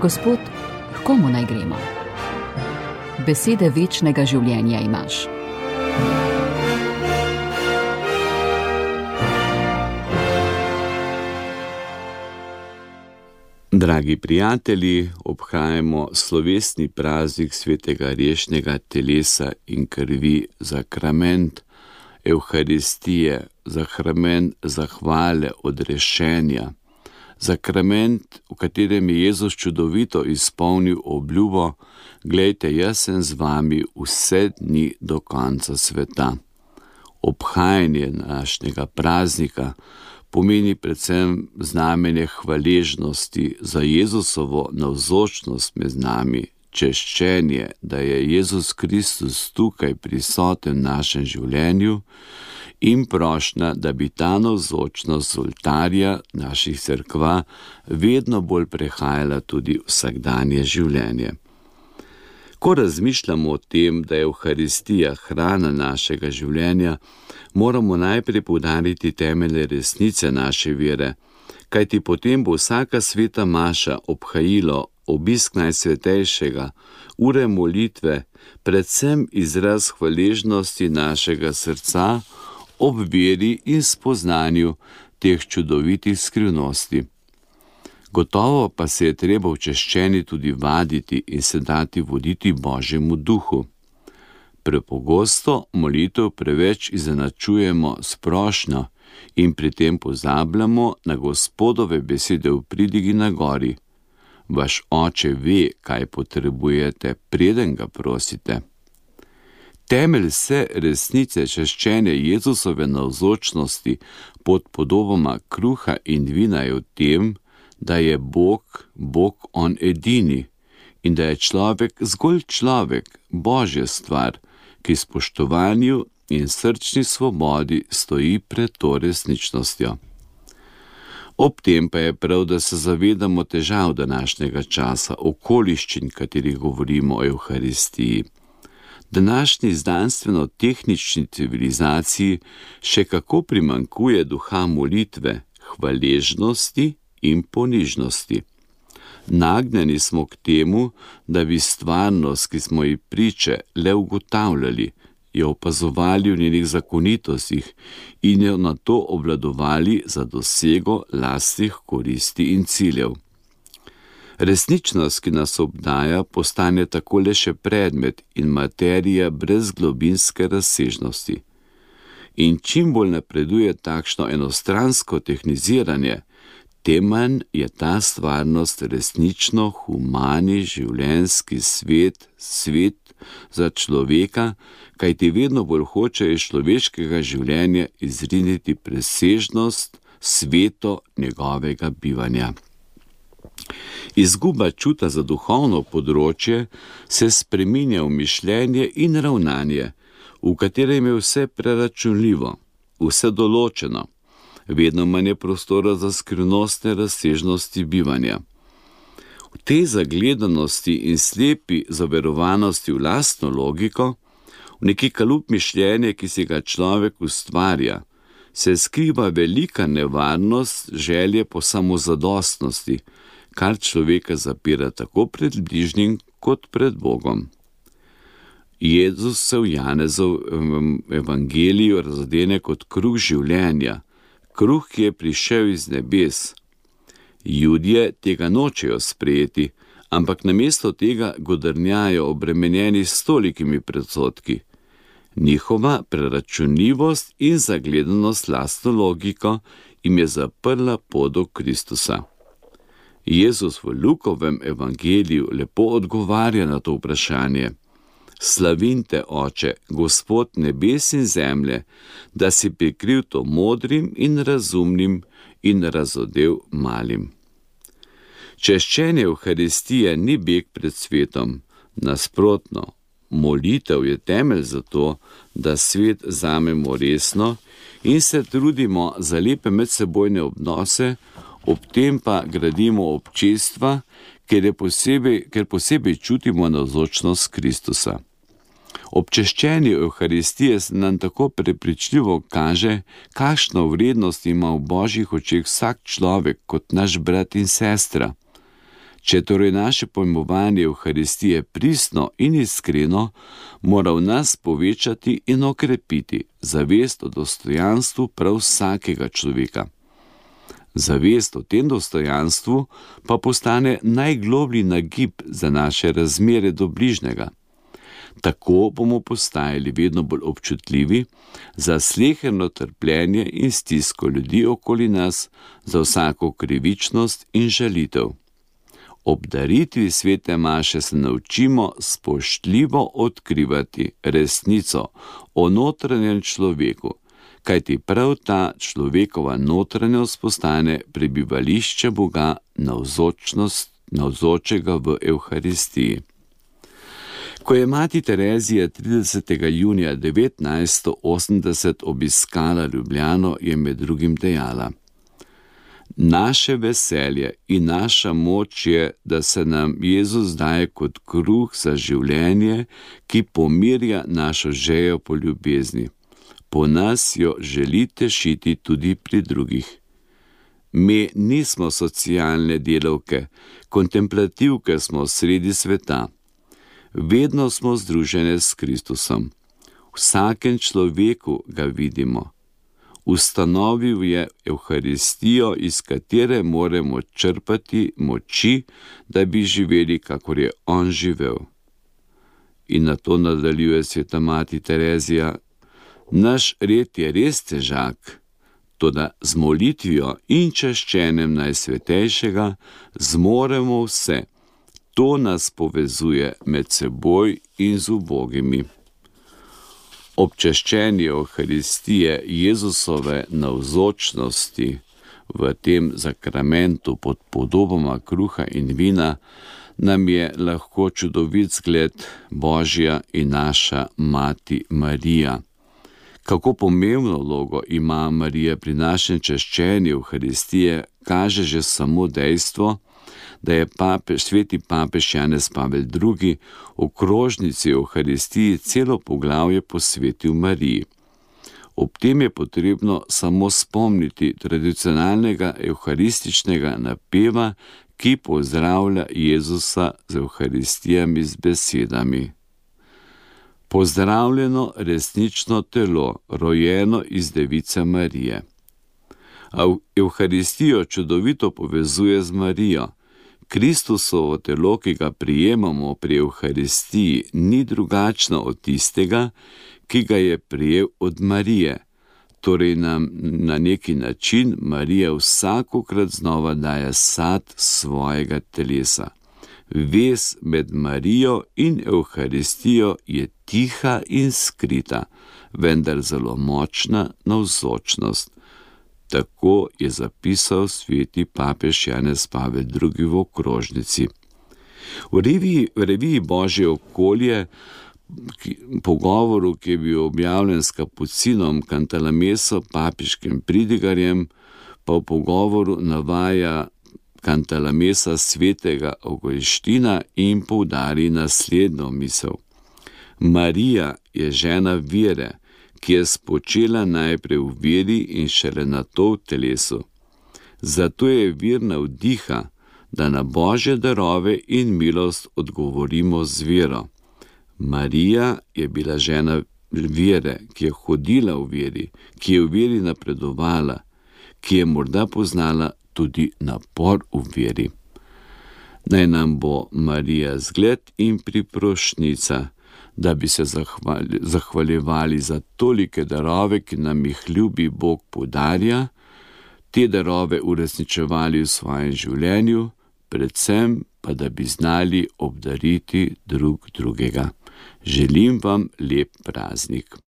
Gospod, h komu naj gremo? Besede večnega življenja imaš. Dragi prijatelji, obhajamo slovesni praznik svetega rešnjega telesa in krvi, zakrament Evharistije, zakrament zahvale, odrešenja, zakrament, v katerem je Jezus čudovito izpolnil obljubo: glejte, jaz sem z vami vse dni do konca sveta. Obhajanje današnjega praznika pomeni predvsem znamenje hvaležnosti za Jezusovo navzočnost med nami, češčenje, da je Jezus Kristus tukaj prisoten v našem življenju in prošnja, da bi ta navzočnost z oltarja naših cerkva vedno bolj prehajala tudi vsakdanje življenje. Ko razmišljamo o tem, da je Evharistija hrana našega življenja, moramo najprej poudariti temelje resnice naše vere, kajti potem bo vsaka sveta maša, obhajilo, obisk Najsvetejšega, ure molitve, predvsem izraz hvaležnosti našega srca ob veri in spoznanju teh čudovitih skrivnosti. Gotovo pa se je treba v češčenju tudi vaditi in se dati voditi Božjemu duhu. Prepogosto molitev preveč izenačujemo s prošnjo in pri tem pozabljamo na Gospodove besede v pridigi na gori: vaš oče ve, kaj potrebujete, preden ga prosite. Temelj vse resnice češčenja Jezusove navzočnosti pod podobama kruha in vina je v tem, da je Bog on edini in da je človek zgolj človek, Božja stvar, ki spoštovanju in srčni svobodi stoji pred to resničnostjo. Ob tem pa je prav, da se zavedamo težav današnjega časa, okoliščin, katerih govorimo o Evharistiji. Današnji znanstveno-tehnični civilizaciji še kako primanjkuje duha molitve, hvaležnosti in ponižnosti. Nagnjeni smo k temu, da bi stvarnost, ki smo ji priče, le ugotavljali, jo opazovali v njenih zakonitostih in jo nato obvladovali za dosego lastnih koristi in ciljev. Resničnost, ki nas obdaja, postane tako le še predmet in materija brez globinske razsežnosti. In čim bolj napreduje takšno enostransko tehniziranje, tem manj je ta stvarnost resnično humani življenjski svet za človeka, kajti vedno bolj hoče iz človeškega življenja izriniti presežnost, sveto njegovega bivanja. Izguba čuta za duhovno področje se spreminja v mišljenje in ravnanje, v katerem je vse preračunljivo, vse določeno, vedno manj je prostora za skrivnostne razsežnosti bivanja. V tej zagledanosti in slepi zaverovanosti v lastno logiko, v neki kalup mišljenja, ki si ga človek ustvarja, se skriva velika nevarnost želje po samozadostnosti, kar človeka zapira tako pred bližnjim kot pred Bogom. Jezus se v Janezovem evangeliju razodene kot kruh življenja, kruh, ki je prišel iz nebes. Judje tega nočejo sprejeti, ampak namesto tega godrnjajo obremenjeni s tolikimi predsodki. Njihova preračunljivost in zagledanost lastno logiko jim je zaprla pot do Kristusa. Jezus v Lukovem evangeliju lepo odgovarja na to vprašanje: slavim te, Oče, Gospod nebes in zemlje, da si prikril to modrim in razumnim in razodel malim. Češčenje Evharistije ni beg pred svetom, nasprotno, molitev je temelj za to, da svet vzamemo resno in se trudimo za lepe medsebojne odnose, ob tem pa gradimo občestva, ker posebej čutimo navzočnost Kristusa. Ob češčenju Evharistije se nam tako prepričljivo kaže, kakšno vrednost ima v Božjih očeh vsak človek kot naš brat in sestra. Če torej naše pojmovanje Evharistije pristno in iskreno, mora v nas povečati in okrepiti zavest o dostojanstvu prav vsakega človeka. Zavest o tem dostojanstvu pa postane najgloblji nagib za naše razmere do bližnjega. Tako bomo postajali vedno bolj občutljivi za sleherno trpljenje in stisko ljudi okoli nas, za vsako krivičnost in žalitev. Ob daritvi svete maše se naučimo spoštljivo odkrivati resnico o notranjem človeku, kajti prav ta človekova notranjost postane prebivališče Boga navzočega v Evharistiji. Ko je mati Terezija 30. junija 1980 obiskala Ljubljano, je med drugim dejala: Naše veselje in naša moč je, da se nam Jezus daje kot kruh za življenje, ki pomirja našo žejo po ljubezni. Po nas jo želi tešiti tudi pri drugih. Mi nismo socialne delavke, kontemplativke smo sredi sveta. Vedno smo združene s Kristusom. V vsakem človeku ga vidimo. Ustanovil je Evharistijo, iz katere moramo črpati moči, da bi živeli, kakor je on živel. In na to nadaljuje sveta mati Terezija: Naš red je res težak, toda z molitvijo in čaščenjem Najsvetejšega zmoremo vse. To nas povezuje med seboj in z ubogimi. Občaščenje Evharistije Jezusove navzočnosti v tem zakramentu pod podobama kruha in vina nam je lahko čudovit zgled Božja in naša mati Marija. Kako pomembno vlogo ima Marija pri našem čaščenju Evharistije, kaže že samo dejstvo, da je sveti papež Janez Pavel II. V krožnici Evharistiji celo poglavje posvetil Mariji. Ob tem je potrebno samo spomniti tradicionalnega evharističnega napeva, ki pozdravlja Jezusa z Evharistijami z besedami: Pozdravljeno resnično telo, rojeno iz Device Marije. A Evharistijo čudovito povezuje z Marijo. Kristusovo telo, ki ga prijemamo pri Evharistiji, ni drugačno od tistega, ki ga je prijel od Marije. Torej nam na neki način Marija vsakokrat znova daje sad svojega telesa. Vez med Marijo in Evharistijo je tiha in skrita, vendar zelo močna navzočnost. Tako je zapisal sveti papež Janez Pavel II. V okrožnici. V reviji Božje okolje, pogovoru, ki je bil objavljen s kapucinom Cantalameso, papeškim pridigarjem, pa v pogovoru navaja Cantalamesa svetega Avguština in poudari naslednjo misel. Marija je žena vere, ki je spočela najprej v veri in šele nato v telesu. Zato je vir navdiha, da na Božje darove in milost odgovorimo z vero. Marija je bila žena vere, ki je hodila v veri, ki je v veri napredovala, ki je morda poznala tudi napor v veri. Naj nam bo Marija zgled in priprošnjica, da bi se zahvaljevali za tolike darove, ki nam jih ljubi Bog podarja, te darove uresničevali v svojem življenju, predvsem pa da bi znali obdariti drug drugega. Želim vam lep praznik.